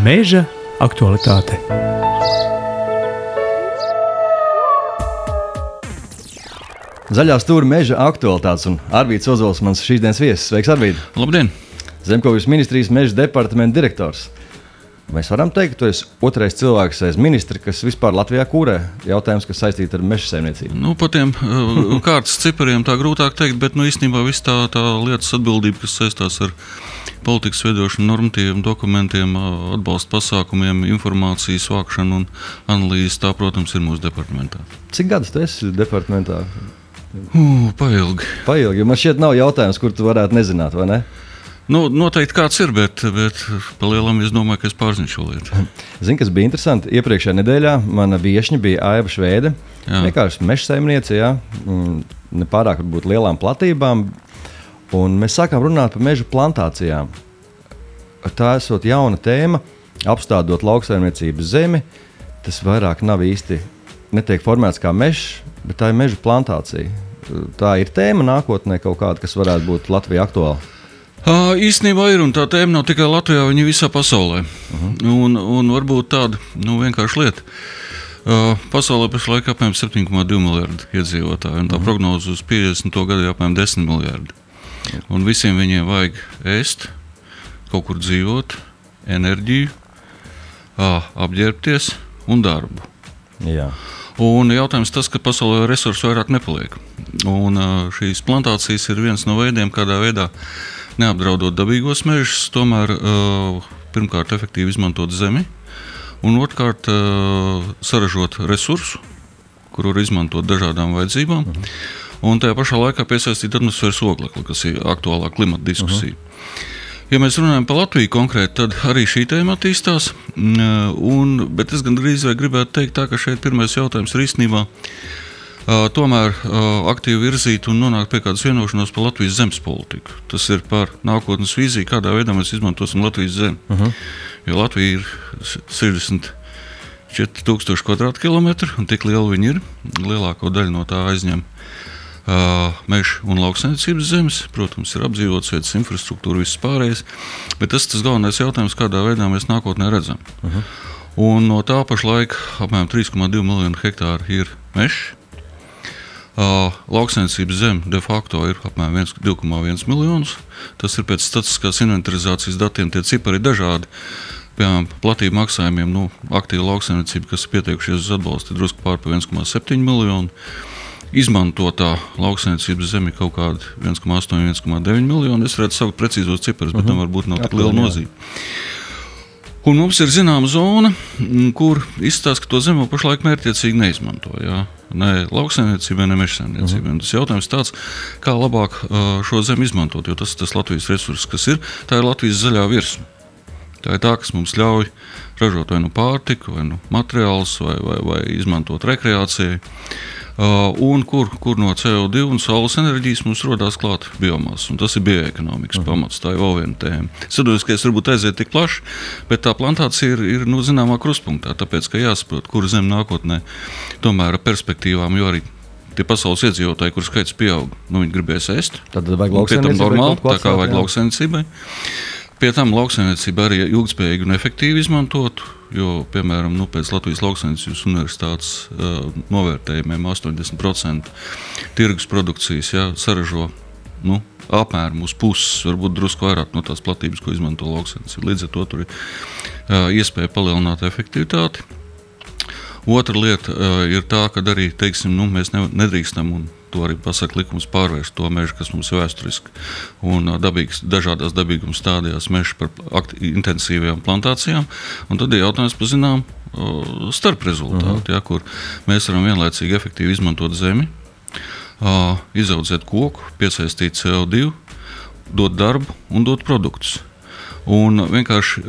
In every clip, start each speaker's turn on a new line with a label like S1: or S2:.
S1: Meža aktualitāte.
S2: Zaļā stūra meža aktualitātes un Arvīds Ozols mans šīsdienas viesis. Sveiks, Arvīd!
S3: Labdien!
S2: Zemkopības ministrijas meža departamenta direktors. Mēs varam teikt, ka tu esi otrais cilvēks aiz ministra, kas vispār Latvijā kūrē jautājums, kas saistīti ar meža saimniecību.
S3: Pa tiem kārtas cipariem tā grūtāk teikt, bet īstenībā viss tā lietas atbildība, kas saistās ar politikas veidošanu, normatīviem dokumentiem, atbalsta pasākumiem, informācijas vākšanu un analīzes, tā, protams, ir mūsu departamentā.
S2: Cik gadus tu esi departamentā?
S3: Pailgi.
S2: Jo man šķiet nav jautājums, kur tu varētu nezināt, vai ne?
S3: Noteikti kāds ir, bet pa lielam es domāju, ka es pārzinu šo lietu.
S2: Zini, kas bija interesanti? Iepriekšējā nedēļā mana viešņa bija Aiva Šveide. Vienkārši meža saimniece, nepārāk varbūt lielām platībām. Un mēs sākām runāt par meža plantācijām. Tā esot jauna tēma, apstādot lauksaimniecības zemi. Tas vairāk nav īsti netiek formēts kā mežs, bet tā ir meža plantācija. Tā ir tēma nākotnē kaut kāda, kas varētu būt Latvijā aktuāla.
S3: Īstenībā ir, un tā tēma nav tikai Latvijā, viņa visā pasaulē. Un varbūt tāda vienkārša lieta. Pasaulē pašlaik apmēram 7,2 miljardi iedzīvotāji, un tā prognoze uz 50. gadu ir apmēram 10 miljardi. Un visiem viņiem vajag ēst, kaut kur dzīvot, enerģiju, apģērbties un darbu.
S2: Jā.
S3: Un jautājums tas, ka pasaulē resursu vairāk nepaliek. Un šīs plantācijas ir viens no veidiem, kādā veidā neapdraudot dabīgos mežus, tomēr pirmkārt efektīvi izmantot zemi, un otrkārt saražot resursu, kuru var izmantot dažādām vajadzībām, un tajā pašā laikā piesaistīt atmosfēras oglekli, kas ir aktuālā klimata diskusija. Ja mēs runājam par Latviju konkrēti, tad arī šī tēma attīstās, bet es gandrīz vai gribētu teikt tā, ka šeit pirmais jautājums ir īstenībā tomēr aktīvi virzīt un nonākt pie kādas vienošanos par Latvijas zemes politiku. Tas ir par nākotnes vīziju, kādā veidā mēs izmantosim Latvijas zemi. Jo Latvija ir 64 000 kvadrātkilometru, un tik liela viņa ir. Lielāko daļu no tā aizņem meža un lauksaimniecības zemes. Protams, ir apdzīvotas vietas, infrastruktūra, viss pārējais. Bet tas galvenais jautājums, kādā veidā mēs nākotnē redzam. Un no tā pašlaik apmēram 3,2 miljonu hektāru ir mežs. Lauksaimniecības zeme de facto ir apmēram 2,1 miljonus. Tas ir pēc statistiskās inventarizācijas datiem, tie cipari ir dažādi. Piemēram, platību maksājumiem, aktīva lauksaimniecība, kas ir pieteikušies uz atbalstu, ir drusku pār pa 1,7 miljonu. Izmantotā lauksaimniecības zeme ir kaut kāda 1,8–1,9 miljonu. Es redzu savu precīzos ciparus, bet tam varbūt nav tik liela nozīme. Un mums ir zināma zona, kur izstāsta, ka to zemi pašlaik mērķtiecīgi neizmanto. Ne lauksaimniecībai, ne mežsaimniecībai. Tas jautājums tāds, kā labāk šo zemi izmantot, jo tas ir tas Latvijas resurss, kas ir. Tā ir Latvijas zaļā virsma. Tā ir tā, kas mums ļauj ražot vai pārtiku, vai materiālus, vai izmantot rekreācijai. Un kur no CO2 un saules enerģijas mums rodās klāt biomasa. Un tas ir bioekonomikas pamats, tā ir vēl viena tēma. Sadoties, ka es varbūt aiziet tik plaši, bet tā plantācija ir zināmā kruspunktā, tāpēc, ka jāsaprot, kur zem nākotnē tomēr ar perspektīvām, jo arī tie pasaules iedzīvotāji, kur skaits pieaug, viņi gribēs ēst.
S2: Tad vajag lauksaimniecībai
S3: normāli, tā kā vajag lauksaimniecībai. Pie tam lauksaimniecība arī ilgspējīgi un efektīvi izmantot, jo, piemēram, pēc Latvijas lauksaimniecības universitātes novērtējumiem 80% tirgus produkcijas saražo apmēram uz puses, varbūt drusku vairāk no tās platības, ko izmanto lauksaimniecība. Līdz ar to tur ir iespēja palielināt efektivitāti. Otra lieta ir tā, ka arī, mēs nedrīkstam, un to arī pasaka likums, pārvērst to mežu, kas mums ir vēsturiski un dažādās dabīguma stādījās mežu par intensīvajām plantācijām. Un tad ir jautājums par zinām starp rezultātu, kur mēs varam vienlaicīgi efektīvi izmantot zemi, izaudzēt koku, piesaistīt CO2, dot darbu un dot produktus. Un vienkārši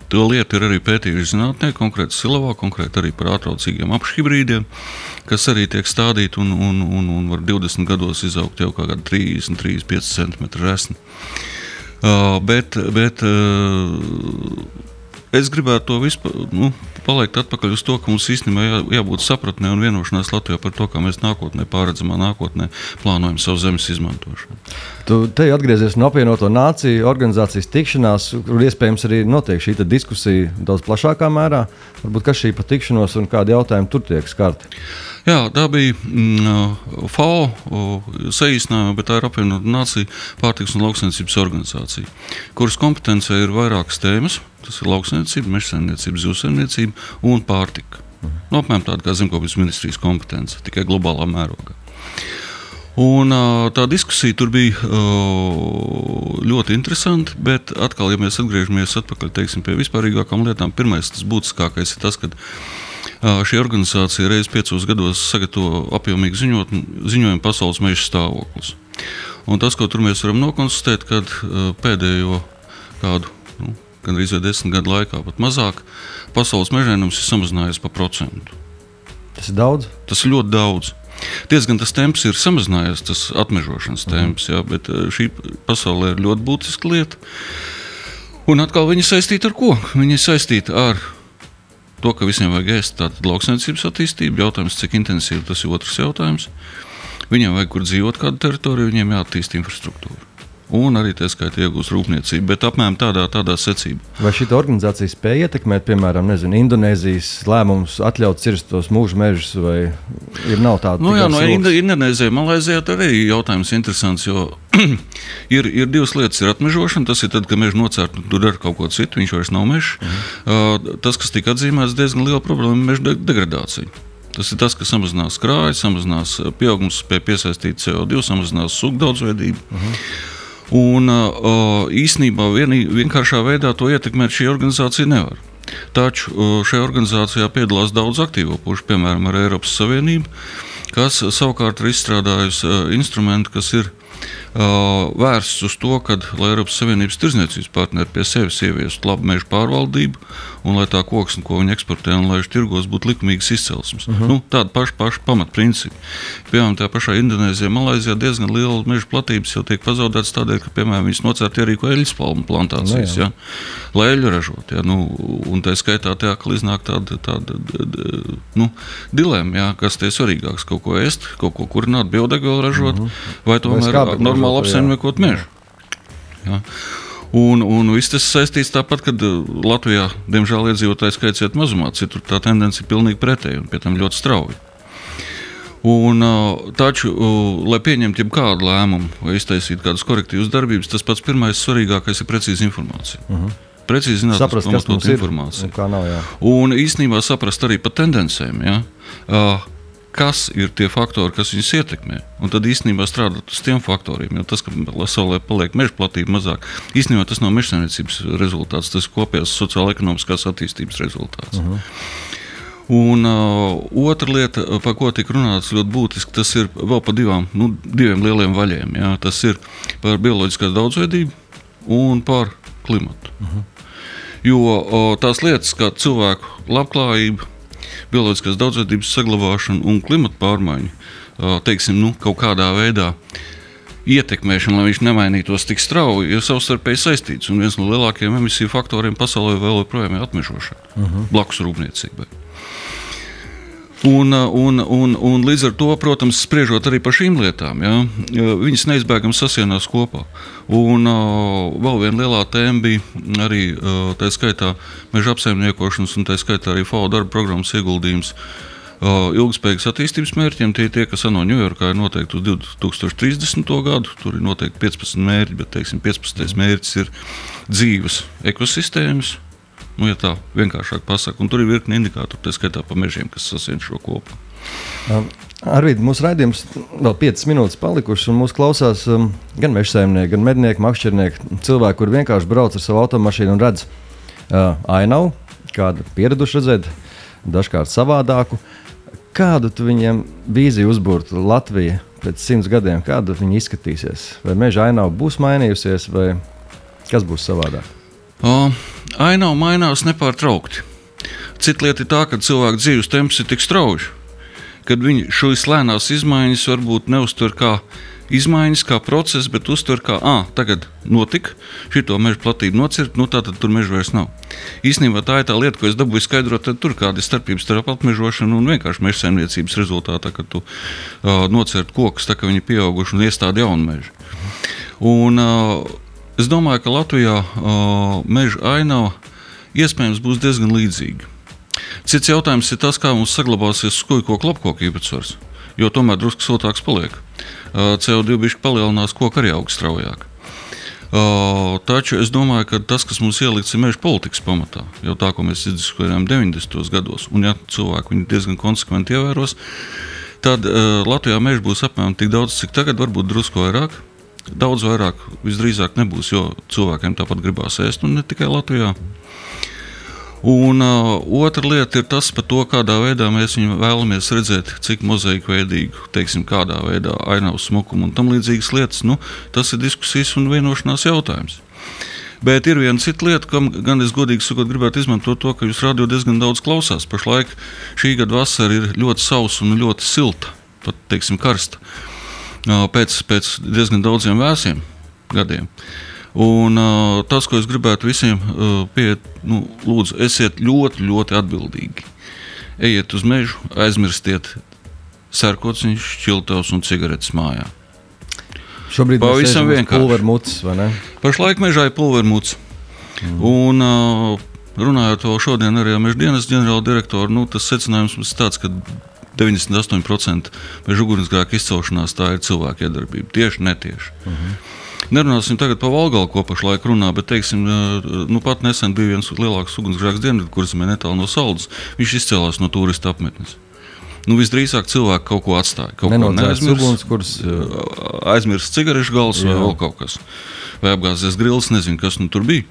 S3: to lietu ir arī pētījuši zinātnē, konkrēti Silavā, konkrēti arī par ātraucīgiem apšhibrīdiem, kas arī tiek stādīti un var 20 gados izaugt jau kā 30–35 cm resni. Bet es gribētu to vispār, palikt atpakaļ uz to, ka mums īstenībā jābūt sapratnē un vienošanās Latvijā par to, kā mēs pārredzamā nākotnē plānojam savu zemes izmantošanu.
S2: Tu te atgriezies no apvienoto nāciju organizācijas tikšanās, kur iespējams arī notiek šī diskusija daudz plašākā mērā. Varbūt kas šī pa tikšanos un kādi jautājumi tur tiek skarti?
S3: Jā, tā bija FAO saīsinājuma, bet tā ir apvienotā nācija pārtikas un lauksaimniecības organizācija, kuras kompetencē ir vairākas tēmas. Tas ir lauksaimniecība, mežsaimniecība, zivsaimniecība un pārtika. Apmēram tāda kā zemkopības ministrijas kompetence, tikai globālā mērogā. Un tā diskusija tur bija ļoti interesanta, bet atkal, ja mēs atgriežamies atpakaļ, teiksim, pie vispārīgākām lietām, pirmais, tas būtiskākais ir tas, ka šī organizācija reiz 5 gados sagatavo apjomīgu ziņojumu pasaules meža stāvoklis. Un tas, ko tur mēs varam nokonstatēt, kad pēdējo kādu, gandrīz 10 gadu laikā, pat mazāk, pasaules mežēnums ir samazinājies pa 1%.
S2: Tas ir daudz?
S3: Tas ir ļoti daudz. Diezgan tas temps ir samazinājies, tas atmežošanas temps, jā, bet šī pasaulē ir ļoti būtiska lieta. Un atkal viņa saistīta ar ko? Viņa saistīta ar to, ka visiem vajag ēst, tātad lauksaimniecības attīstība, jautājums, cik intensīvi, tas ir otrs jautājums. Viņiem vajag kur dzīvot kādu teritoriju, viņiem jāattīst infrastruktūru. Un arī tā skaitā iegūst rūpniecību, bet apmēram tādā secībā.
S2: Vai šī organizācija spēja ietekmēt, piemēram, Indonēzijas lēmumus atļaut cirst tos mūža mežus, vai nav tāda?
S3: Indonēzijā, Malaizijā arī jautājums interesants, jo ir divas lietas. Ir atmežošana, tas ir tad, kad mežu nocērt, tur dara kaut ko citu, viņš vairs nav mežs. Tas, kas tika atzīmēts, diezgan liela problēma ir meža degradācija. Tas ir tas, ka samazinās krājas, samazinās pieaugums pie piesaistīta CO2, samazinās sugu daudzveidību. Un īstenībā vienkāršā veidā to ietekmēt šī organizācija nevar. Taču šajā organizācijā piedalās daudz aktīvo pušu, piemēram, ar Eiropas Savienību, kas savukārt ir izstrādājusi instrumentu, kas ir vērsts uz to, lai Eiropas Savienības tirdzniecības partneri pie sevis ieviestu labu mežu pārvaldību un lai tā koksne, ko viņi eksportē un laiž tirgos, būtu likumīgas izcelsmes. Tāda paša pamatprincipi. Piemēram, tā pašā Indonēzijā, Malaizijā diezgan liela meža platības jau tiek pazaudētas tādēļ, ka, piemēram, viņas nocērt ierīko eļļas palmu plantācijas, lai eļļu ražot. Un tā skaitā tā, ka iznāk tāda dilemma, kas tie svarīgāks, kaut ko ēst, kaut ko kurināt, biodegvielu ražot, vai tomēr normāli apsaimniekot mežu. Jā. Un viss tas saistīts tāpat, kad Latvijā, diemžēl, iedzīvotāju skaits iet mazumā, citur tā tendence ir pilnīgi pretēja un pie tam ļoti strauji. Taču, lai pieņemtu jebkādu lēmumu vai iztaisītu kādas korektīvas darbības, tas pats pirmais svarīgākais ir precīza informācija. Precīzi zināt,
S2: saprast, kas mums ir informācija. Un kā nav, jā.
S3: Un īstenībā saprast arī pa tendencēm, kas ir tie faktori, kas viņus ietekmē. Un tad īstenībā strādāt uz tiem faktoriem, jo tas, ka pasaulē paliek meža platība mazāk, īstenībā tas nav mežsaimniecības rezultāts, tas ir kopējās sociāla-ekonomiskās attīstības rezultāts. Un otra lieta, par ko tika runāts ļoti būtiski, tas ir vēl par diviem lieliem vaļiem. Jā. Tas ir par bioloģiskās daudzveidību un par klimatu. Jo tās lietas, kā cilvēku labklājība, bioloģiskās daudzveidības saglabāšana un klimata pārmaiņu, teiksim, kaut kādā veidā ietekmēšana, lai viņš nemainītos tik strauji, ir savstarpēji saistīts. Un viens no lielākajiem emisiju faktoriem pasaulē vēl joprojām ir atmežošana, blakus rūpniecībai. Un līdz ar to, protams, spriežot arī par šīm lietām, viņas neizbēgami sasienās kopā. Un vēl viena lielā tēma bija arī tā skaitā meža apsaimniekošanas un tā skaitā arī FAO darba programmas ieguldījums ilgspējīgas attīstības mērķiem. Tie, kas ANO Ņujorkā ir noteikti uz 2030. gadu, tur ir noteikti 15 mērķi, bet, teiksim, 15. mērķis ir dzīves ekosistēmas. Ja tā vienkāršāk pasaka, un tur ir virkni indikātori, tā skaitā pa mežiem, kas sasien šo kopā.
S2: Arvīd, mūsu raidījums vēl 5 minūtes palikušas, un mūs klausās gan mežsaimnieki, gan mednieki, makšķernieki, cilvēki, kur vienkārši brauc ar savu automašīnu un redz ainavu, kādu pieraduši redzēt, dažkārt savādāku. Kādu tu viņiem vīziju uzbūrtu Latvija pēc 100 gadiem? Kāda viņa izskatīsies? Vai meža ainava būs mainījusies, vai kas būs savādāk?
S3: Ainava mainās nepārtraukti. Cita lieta ir tā, ka cilvēku dzīves temps ir tik strauji, kad viņi šīs lēnās izmaiņas varbūt neuztver kā izmaiņas, kā process, bet uztver kā, tagad notika, šito meža platību nocirt, tātad tur meža vairs nav. Īstenībā tā ir tā lieta, ko es dabūju skaidrot, tad tur kāda ir starpības starp apmežošanu un vienkārši meža saimniecības rezultātā, kad tu nocirt kokus, tā kā viņi pieauguši un iestādi jaunu mežu. Un es domāju, ka Latvijā meža ainava iespējams būs diezgan līdzīga. Cits jautājums ir tas, kā mums saglabāsies skujkoku lapkoku īpatsvars, jo tomēr drusku siltāks paliek. CO2 bišķi palielinās, koku arī aug straujāk. Taču es domāju, ka tas, kas mums ielikts ir meža politikas pamatā, jau tā, ko mēs izdiskutējām 90. gados, un ja cilvēki viņu diezgan konsekventi ievēros, tad Latvijā meža būs apmēram tik daudz, cik tagad, varbūt drusku vairāk. Daudz vairāk visdrīzāk nebūs, jo cilvēkiem tāpat gribās ēst, un ne tikai Latvijā. Un otra lieta ir tas par to, kādā veidā mēs viņu vēlamies redzēt, cik mozaīku veidīgu, teiksim, kādā veidā ainavu smukumu un tam līdzīgas lietas. Tas ir diskusijas un vienošanās jautājums. Bet ir viena cita lieta, kam gan es godīgi sakot gribētu izmantot to, ka jūs radio diezgan daudz klausās. Pašlaik šī gada vasara ir ļoti sausa un ļoti silta, pat, teiksim, karsta, pēc diezgan daudziem vēsiem gadiem. Un tas, ko es gribētu visiem pieiet, lūdzu, esiet ļoti, ļoti atbildīgi. Ejiet uz mežu, aizmirstiet sērkociņus, šķiltavas un cigaretes mājā.
S2: Šobrīd mēs sēžam uz pulvermucas, vai ne?
S3: Pašlaik mežā ir pulvermuca. Un runājot vēl šodien arī ar meža dienas ģenerāla direktoru, tas secinājums mums tāds, ka 98% meža ugunsgrēku izcelšanās tā ir cilvēka iedarbība, tieši netieši. Nerunāsim tagad par Valgalu, ko pašlaik runā, bet, teiksim, pat nesen bija viens lielāks ugunsgrēks Dienvidkurzemē netālu no Saldas. Viņš izcēlās no turistu apmetnes. Visdrīzāk cilvēki kaut ko atstāja. Kaut ko neaizmirst, aizmirst cigarešu gals vai vēl kaut kas. Vai apgāzies grils, nezinu, kas tur bija.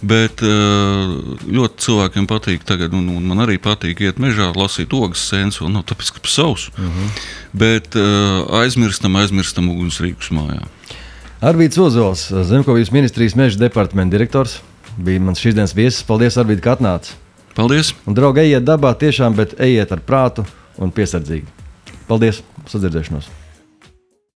S3: Bet ļoti cilvēkiem patīk tagad, un man arī patīk iet mežā, lasīt ogas sēnes, vēl nav tāpēc, ka pa sausu. Bet aizmirstam ugunsrīkus mājā.
S2: Arvīds Ozols, Zemkopības ministrijas meža departamenta direktors, bija mans šīs dienas viesis. Paldies, Arvīd, ka atnāci.
S3: Paldies.
S2: Un, draugi, ejiet dabā tiešām, bet ejiet ar prātu un piesardzīgi. Paldies, sadzirdēšanos.